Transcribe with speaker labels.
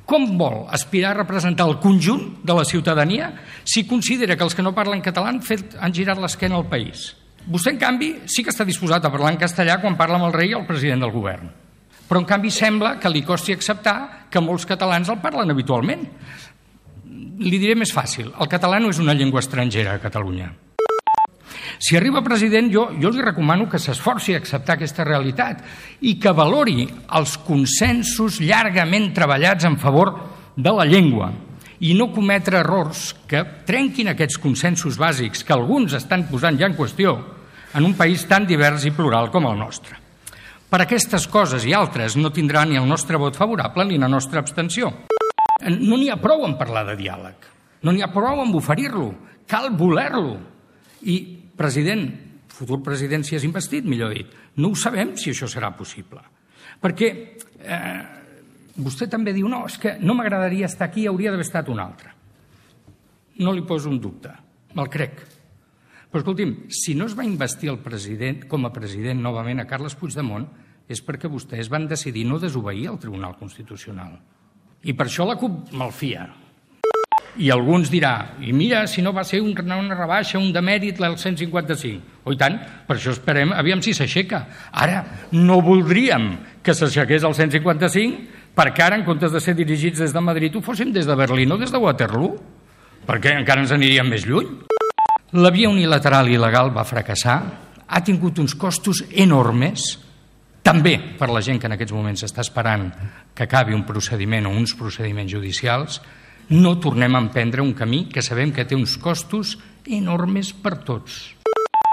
Speaker 1: Com vol aspirar a representar el conjunt de la ciutadania si considera que els que no parlen català han girat l'esquena al país? Vostè, en canvi, sí que està disposat a parlar en castellà quan parla amb el rei i el president del govern. Però, en canvi, sembla que li costi acceptar que molts catalans el parlen habitualment. Li diré més fàcil. El català no és una llengua estrangera a Catalunya. Si arriba president, jo li recomano que s'esforci a acceptar aquesta realitat i que valori els consensos llargament treballats en favor de la llengua i no cometre errors que trenquin aquests consensos bàsics que alguns estan posant ja en qüestió en un país tan divers i plural com el nostre. Per aquestes coses i altres no tindrà ni el nostre vot favorable ni la nostra abstenció. No n'hi ha prou en parlar de diàleg, no n'hi ha prou en oferir-lo, cal voler-lo. I, president, futur president si és investit, millor dit, no ho sabem si això serà possible. Perquè vostè també diu, no, és que no m'agradaria estar aquí, hauria d'haver estat un altre. No li poso un dubte, me'l crec. Però escolti'm, si no es va investir el president com a president novament a Carles Puigdemont és perquè vostès van decidir no desobeir el Tribunal Constitucional. I per això la CUP malfia. I alguns dirà, i mira, si no va ser una rebaixa, un demèrit, el 155. Oh, i tant, per això esperem, aviam si s'aixeca. Ara, no voldríem que s'aixequés el 155 perquè ara, en comptes de ser dirigits des de Madrid, ho fóssim des de Berlín o des de Waterloo, perquè encara ens aniríem més lluny. La via unilateral i il·legal va fracassar, ha tingut uns costos enormes, també per la gent que en aquests moments està esperant que acabi un procediment o uns procediments judicials. No tornem a emprendre un camí que sabem que té uns costos enormes per tots.